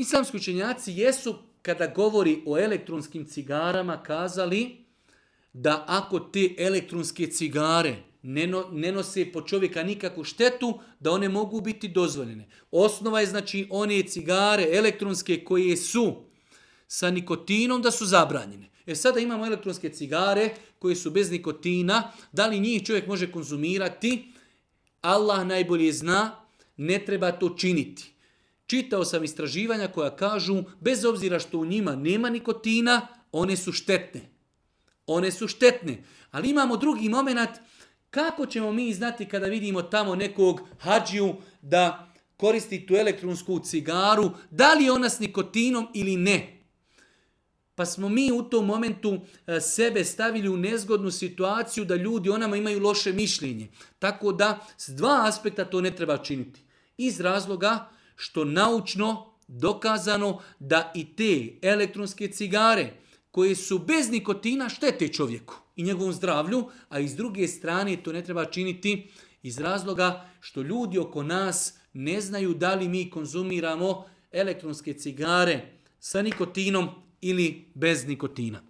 Islamski učenjaci jesu, kada govori o elektronskim cigarama, kazali da ako te elektronske cigare ne nose po čovjeka nikakvu štetu, da one mogu biti dozvoljene. Osnova je znači one cigare elektronske koje su sa nikotinom da su zabranjene. Sada imamo elektronske cigare koje su bez nikotina. Da li njih čovjek može konzumirati? Allah najbolje zna, ne treba to činiti. Čitao sam istraživanja koja kažu, bez obzira što u njima nema nikotina, one su štetne. One su štetne. Ali imamo drugi moment, kako ćemo mi znati kada vidimo tamo nekog hadžiju da koristi tu elektronsku cigaru, da li je ona s nikotinom ili ne. Pa smo mi u tom momentu sebe stavili u nezgodnu situaciju da ljudi o nama imaju loše mišljenje. Tako da s dva aspekta to ne treba činiti. Iz razloga što naučno dokazano da i te elektronske cigare koje su bez nikotina štete čovjeku i njegovom zdravlju, a iz druge strane to ne treba činiti iz razloga što ljudi oko nas ne znaju da li mi konzumiramo elektronske cigare sa nikotinom ili bez nikotina.